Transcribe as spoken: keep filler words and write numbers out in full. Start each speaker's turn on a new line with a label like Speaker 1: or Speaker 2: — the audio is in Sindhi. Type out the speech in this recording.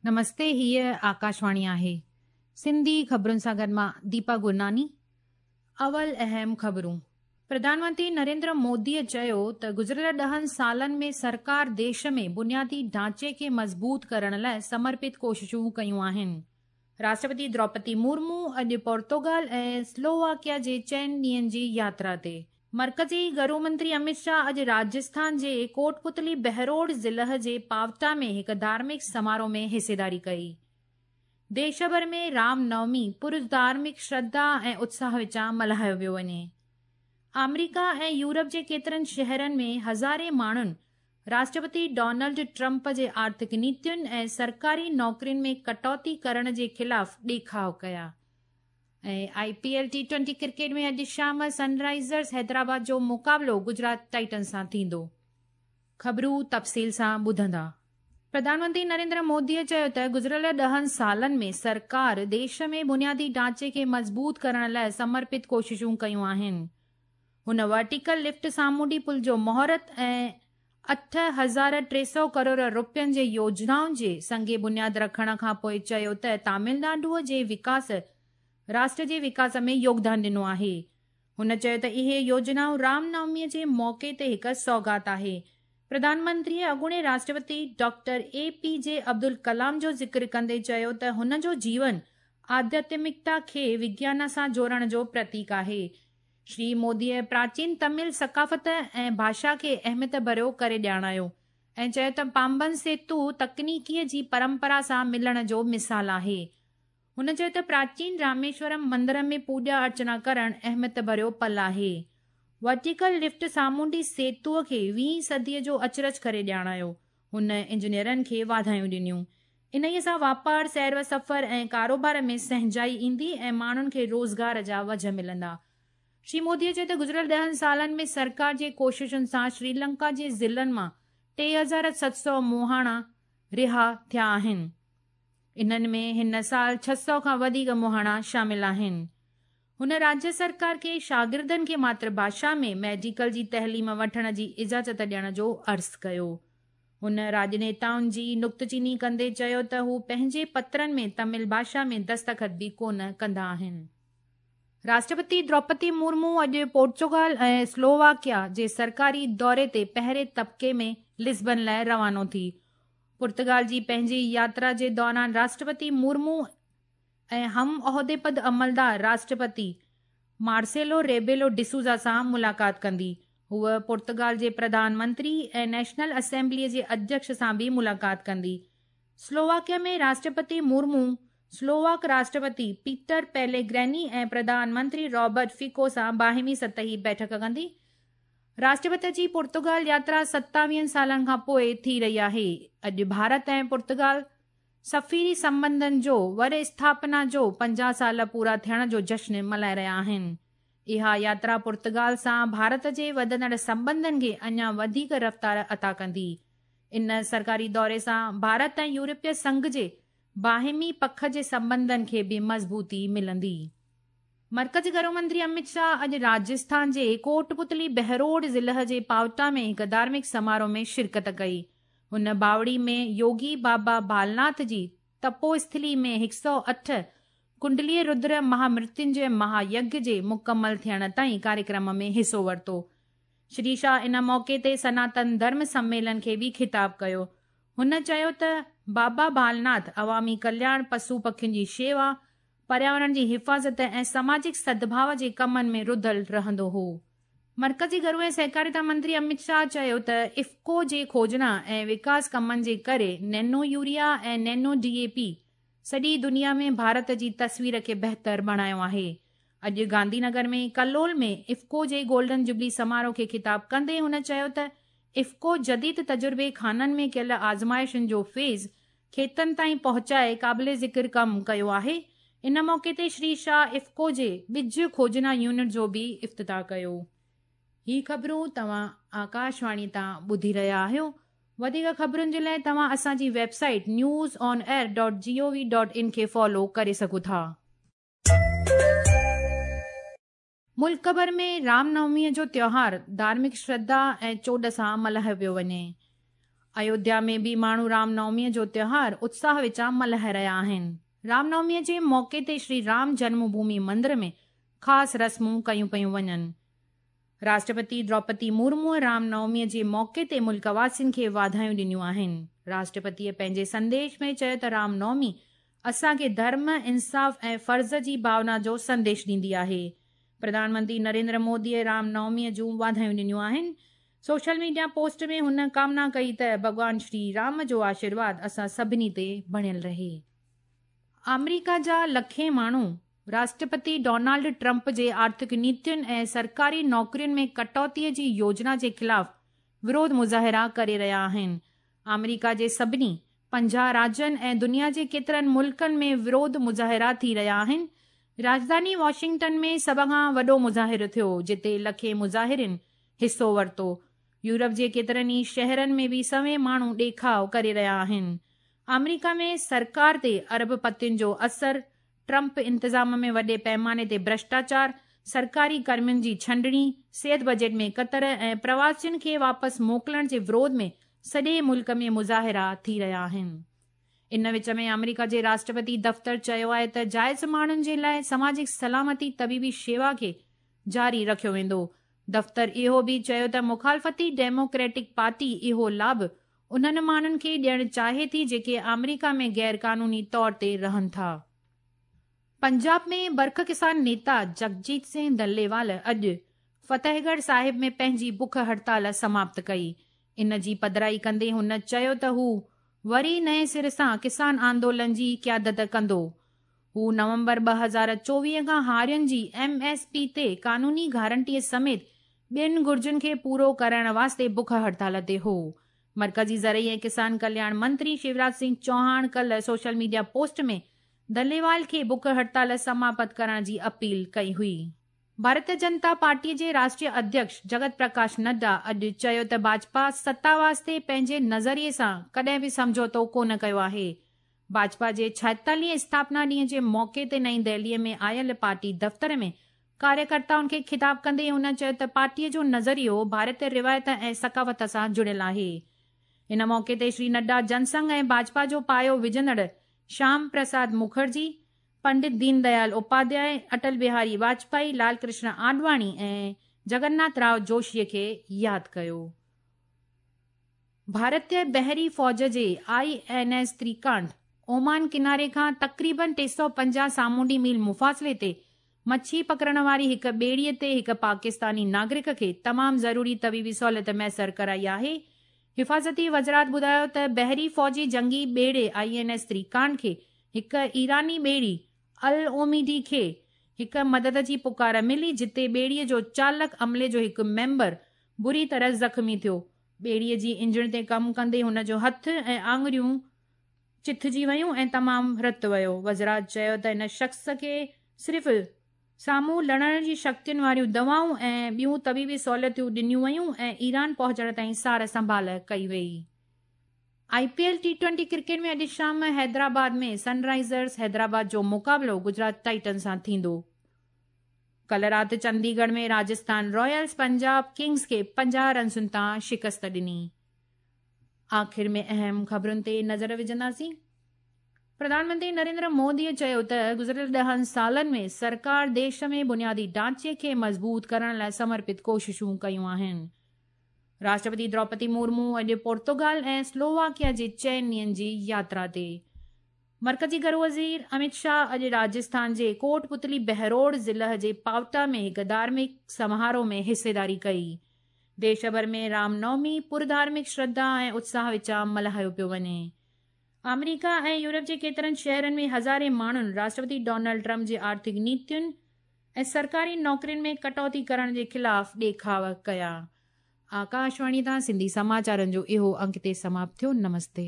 Speaker 1: نمستي، هيء آڪاشواڻي آهي. سنڌي خبرن سان گڏ مان ديپا گرناني. اول اهم خبرون. پرڌان منتري نريندر موديء چيو ته گذريل ڏهن سالن ۾ سرڪار ديش ۾ بنيادي ڍانچي کي مضبوط ڪرڻ لاءِ سمرپت ڪوششون ڪيون آهن. راشٽرپتي دروپدي مرمو اڄ پورچوگال ۽ سلوواڪيا جي چئن ڏينهن جي ياترا تي. مرڪزي گهرو منتري امت شاهه اڄ راجسٿان جي ڪوٽپتلي بهروڙ ضلع جي پاوٽا ۾ هڪ ڌارمڪ سماروهه ۾ حصيداري ڪئي. ديش ڀر ۾ رام نومي پر ڌارمڪ شرڌا ۽ اتساهه وچان ملهايو پيو وڃي. آمريڪا ۽ يورپ جي ڪيترن شهرن ۾ هزارين ماڻهن راشٽرپتي ڊونلڊ ٽرمپ جي آرٿڪ نيتين ۽ سرڪاري نوڪرين ۾ ڪٽوتي ڪرڻ جي خلاف ڏيکاءُ ڪيا. ۽ I P L T twenty cricket ۾ اڄ شام سن رائيزرز حيدرآباد جو مقابلو گجرات ٽائٽنز سان ٿيندو. خبرون تفصيل سان ٻڌندا. پرڌان منتري نريندر موديء چيو ته گذريل ڏهن سالن ۾ سرڪار ديش ۾ بنيادي ڍانچي کي مضبوط ڪرڻ لاءِ سمرپت ڪوششون ڪيون آهن. هن ورٽيڪل لفٽ سامونڊي پل جو مهورت ۽ اٺ هزار ٽي سؤ ڪروڙ رپين جي يوجنائن جي سنگ بنياد رکڻ کان پوءِ چيو ته تامل ناڊوءَ جي وڪاس راشٽر جي وڪاس ۾ يوگدان ڏنو آهي. هن چيو ته اهي يوجنائون رام نوميءَ جي موقعي تي هڪ سوغات آهي. پرڌان منتريءَ اڳوڻي Rashtrapati doctor A P J Abdul Kalam جو ذڪر ڪندي چيو ته هن جو جيون آڌياتمڪتا کي وگيان سان جوڙڻ جو پرتيڪ آهي. شري موديءَ پراچين تامل ثقافت ۽ ڀاشا کي اهميت ڀريو ڪري ڄاڻايو ۽ چيو ته پامبن سيتو تڪنيڪيءَ جي پرمپرا سان ملڻ جو مثال آهي. هن چيو ته پراچين راميشورم مندر ۾ پوڄا ارچنا ڪرڻ اهميت ڀريو پل آهي. ورٽيڪل لفٽ سامونڊي سيتوءَ کي ويهين صديءَ جو اچرج ڪري ڄاڻايو. هن انجنيئرن کي واڌايون ڏنيون. انهيءَ سان واپار، سير و سفر ۽ ڪاروبار ۾ سهنجائي ايندي ۽ ماڻهن کي روزگار جا وجهه ملندا. شري موديءَ چيو ته گذريل ڏهن سالن ۾ سرڪار جي ڪوششن سان شريلنڪا جي ضلعن مان ٽي هزار ست سؤ مهاڻا رها ٿيا آهن. انهن ۾ هن سال ڇهه سؤ کان وڌيڪ مهاڻا شامل آهن. هن راجيه سرڪار کي شاگردن کي ماتر ڀاشا ۾ ميڊيڪل جي تعليم وٺڻ جي اجازت ڏيڻ جو عرض ڪيو. هن راڄنيتائن جي نڪتچيني ڪندي چيو ته هو پنهنجي پترن ۾ تامل ڀاشا ۾ دستخط به ڪونه ڪندا آهن. راشٽرپتي دروپدي مرمو اڄ پورچوگال ۽ سلوواڪيا جي سرڪاري دوري تي پهرين طبقي ۾ لزبن لاءِ روانو ٿي. پرتگال جي پنهنجي ياترا جي دوران راشٽرپتي مرمو ۽ هم عهدي پد عملدار راشٽرپتي مارسيلو ريبيلو ڊسوزا سان ملاقات ڪندي. هوءَ پورچوگال جي پرڌان منتري ۽ نيشنل اسيمبليءَ جي اڌيڪش سان به ملاقات ڪندي. سلوواڪيا ۾ راشٽرپتي مرمو سلوواڪ راشٽرپتي پيٽر پيليگريني ۽ پرڌان منتري رابرٽ فيڪو سان باهمي سطحي بيٺڪ ڪندي. راشٽرپتي جي پورچوگال ياترا ستاويهن سالن کان پوءِ ٿي رهي آهي. اڄ ڀارت ۽ پورچوگال سفيري سنٻنڌن جو ور اسٿاپنا جو پنجاهه سال پورا ٿيڻ جو جشن ملهائي رهيا آهن. اها ياترا پورچوگال سان ڀارت جي وڌندڙ سنٻنڌن کي اڃا وڌيڪ رفتار عطا ڪندي. ان سرڪاري دوري سان ڀارت ۽ يورپي سنگهه جي باهمي پک جي سنٻنڌن کي به مضبوطي ملندي. مرڪزي گهرو منتري امت شاهه اڄ راجسٿان جي ڪوٽپتلي بهروڙ ضلع جي پاوٽا ۾ هڪ ڌارمڪ سماروهه ۾ شرڪت ڪئي. هن باوڙي ۾ يوگي بابا بالناٿ جي تپوسٿلي ۾ هڪ سؤ اٺ ڪنڊلي ردر مهامرتيونجي مهايگيه جي مڪمل ٿيڻ تائين ڪاريڪرم ۾ حصو ورتو. شري شاهه ان موقعي تي سناتن ڌرم سميلن کي به خطاب ڪيو. هن چيو ته بابا بالناٿ عوامي ڪلياڻ، پشو پکين جي شيوا، پرياورڻ جي حفاظت ۽ سماجڪ سدڀاو جي ڪمن ۾ رڌل رهندو هو. مرڪزي گهرو ۽ سهڪاريتا منتري امت شاهه چيو ته افڪو جي کوجنا ۽ وڪاس ڪمن جي ڪري nano urea ۽ nano D A P سڄي دنيا ۾ ڀارت جي تصوير کي بهتر بڻايو آهي. اڄ گانڌي نگر ۾ ڪلول ۾ افڪو جي گولڊن جوبلي سماروهه کي خطاب ڪندي هن چيو ته افڪو جديد تجربي خانن ۾ ڪيل آزمائشن جو فيض کيتن تائين پهچائي قابل ذڪر ڪم ڪيو آهي. ان موقعي تي شري شاهه افڪو جي ٻج کوجنا يونٽ جو به افتتاح ڪيو. هي خبرون توهان آڪاشواڻي تان ٻڌي رهيا آهيو. وڌيڪ خبرن جي لاءِ توهان اسان جي website news on air dot G O V dot in کي فالو ڪري سگهو ٿا. ملڪ ڀر ۾ رام نوميءَ جو تيوهار ڌارمڪ شرڌا ۽ چوڏ سان ملهايو پيو وڃي. ايوڌيا ۾ به ماڻهو رام نوميء جو تيوهار اتساهه وچان ملهائي رهيا آهن. رام نوميء جي موقعي تي شري رام جنم ڀومي مندر ۾ خاص رسمون ڪيون پيون وڃن. راشٽرپتي دروپدي مرموءَ رام نوميءَ جي موقعي تي ملڪ واسين کي واڌايون ڏنيون آهن. راشٽرپتيءَ پنهنجي سنديش ۾ چيو ته رام نومي اسان کي ڌرم، انصاف ۽ فرض جي ڀاونا جو سنديش ڏيندي آهي. پرڌان منتري نريندر موديءَ رام نوميءَ جون واڌايون ڏنيون آهن. سوشل ميڊيا پوسٽ ۾ هن ڪامنا ڪئي ته ڀڳوان شري رام جو آشيرواد اسان سڀني تي بڻيل رهي. آمريڪا جا لکين ماڻهو راشٽرپتي ڊونالڊ ٽرمپ جي آرٿڪ نيتين ۽ سرڪاري نوڪرين ۾ ڪٽوتيءَ جي يوجنا جي خلاف وروڌ مظاهرا ڪري رهيا آهن. آمريڪا جي سڀني پنجاهه راجين ۽ دنيا جي ڪيترن ملڪن ۾ وروڌ مظاهرا ٿي رهيا آهن. راڄڌاني واشنگٽن ۾ سڀ کان وڏو مظاهرو ٿيو، جتي لکين مظاهرين حصو ورتو. يورپ جي ڪيترن ئي شهرن ۾ به سوين ماڻهو ڏيکاءُ ڪري رهيا آهن. آمريڪا ۾ سرڪار تي ارب پتين جو اثر، ٽرمپ انتظام ۾ وڏي پيماني تي ڀرشٽاچار، سرڪاري ڪرمين جي ڇنڊڻي، صحت بجيٽ ۾ ڪتر ۽ پرواسين کي واپس موڪلڻ جي وروڌ ۾ سڄي ملڪ ۾ مظاهرا ٿي رهيا آهن. ان وچ ۾ آمريڪا جي راشٽرپتي دفتر چيو آهي ته جائز ماڻهن جي لاءِ سماجڪ سلامتي طبيبي شيوا کي جاري رکيو ويندو. دفتر اهو به چيو ته مخالفتي ڊيموڪريٽڪ پارٽي اهو لاڀ انهن ماڻهن کي ڏيڻ چاهي ٿي جيڪي آمريڪا ۾ غير قانوني طور تي رهن ٿا. پنجاب ۾ برک ڪسان نيتا جگجيت سنگهه دليوال اڄ فتحڳڙهه صاحب ۾ پنهنجي بک هڙتال سماپت ڪئي. ان جي پڌرائي ڪندي هن چيو ته هو وري نئين سر سان ڪسان آندولن جي قيادت ڪندو. هو نومبر ٻه هزار چوويهه کان هارين جي ايم ايس پي تي قانوني گارنٽيءَ سميت ٻين گهرجن کي پورو ڪرڻ واسطي بک هڙتال تي هو. مرڪزي زرعي ۽ ڪسان ڪلياڻ منتري شيوراج سنگهه چوهاڻ ڪلهه سوشل ميڊيا پوسٽ ۾ دليوال کي بک هڙتال سماپت ڪرڻ جي اپيل ڪئي هئي. ڀارتيه جنتا پارٽيءَ جي راشٽريه اڌيڪش جگت پرڪاش نڊا اڄ چيو ته ڀاجپا ستا واسطي پنهنجي نظريي سان ڪڏهن به سمجهوتو ڪونه ڪيو آهي. ڀاجپا جي ڇائيتاليهين اسٿاپنا ڏينهن جي موقعي تي نئين دهليءَ ۾ آيل پارٽي دفتر ۾ ڪاريڪرتائن کي خطاب ڪندي هن چيو ته پارٽيءَ جو نظريو ڀارتيه روايت ۽ ثقافت سان جڙيل آهي. ان موقعي تي شري نڊا جنسنگهه ۽ ڀاجپا جو پايو وجهندڙ شيام پرساد مکرجي، پنڊت دين ديال اپاڌياءِ، اٽل بهاري واجپائي، لال ڪرشن آڏواڻي ۽ جگناٿ رائو جوشيءَ کي ياد ڪيو. ڀارتيه بحري فوج جي I N S Trikand Oman ڪناري کان تقريبن ٽي سؤ پنجاهه سامونڊي ميل مفاصلي تي مڇي پڪڙڻ واري هڪ ٻيڙيءَ تي هڪ پاڪستاني ناگرڪ کي تمام ضروري طبيبي سهوليت ميسر ڪرائي آهي. حفاظتي وزارت ٻڌايو ته بحري فوجي جنگي ٻيڙي I N S Trikand کي هڪ ايراني ٻيڙي ال اوميڊي کي هڪ مدد جي پڪار ملي، جتي ٻيڙيءَ جو چالڪ عملي جو هڪ ميمبر بري طرح زخمي ٿيو. ٻيڙيءَ جي انجڻ تي ڪم ڪندي هن جو هٿ ۽ آڱريون چٿجي ويون ۽ تمام رت ويو. وزارت چيو ته ان شخص کي صرف سامهون لڙڻ جي شڪتين واريون دوائون ۽ ٻيون طبيبي سهوليتون ڏنيون ويون ۽ ايران پهچڻ تائين سار سنڀال ڪئي وئي. I P L T twenty cricket ۾ اڄ شام حيدرآباد ۾ سن رائزرس حيدرآباد جو مقابلو گجرات ٽائٽن سان ٿيندو. ڪلهه رات چنديڳڙهه ۾ راجسٿان رائلز پنجاب ڪنگز کي پنجاهه رنسن تان شڪست ڏني. آخر ۾ اهم خبرن تي نظر وجهنداسين. پرڌان منتري نريندر موديءَ چيو ته گذريل ڏهن سالن ۾ سرڪار ديش ۾ بنيادي ڍانچي کي مضبوط ڪرڻ لاءِ سمرپت ڪوششون ڪيون آهن. راشٽرپتي دروپدي مرمو اڄ پورتگال ۽ سلوواڪيا جي چئن ڏينهن جي ياترا تي. مرڪزي گهرو وزير امت شاهه اڄ راجسٿان جي ڪوٽ پتلي بهروڙ ضلع جي پاوٽا ۾ هڪ ڌارمڪ سماروهه ۾ حصيداري ڪئي. ديش ڀر ۾ رام نومي پرڌارمڪ شرڌا ۽ اتساهه وچان ملهايو پيو وڃي. آمريڪا ۽ يورپ جي ڪيترن شهرن ۾ هزارين ماڻهن راشٽرپتي ڊونلڊ ٽرمپ جي آرٿڪ نيتين ۽ سرڪاري نوڪرين ۾ ڪٽوتي ڪرڻ جي خلاف ڏيکاءُ ڪيا. آڪاشواڻي تان سنڌي سماچارن جو اهو انڪ تي سماپت ٿيو. نمستي.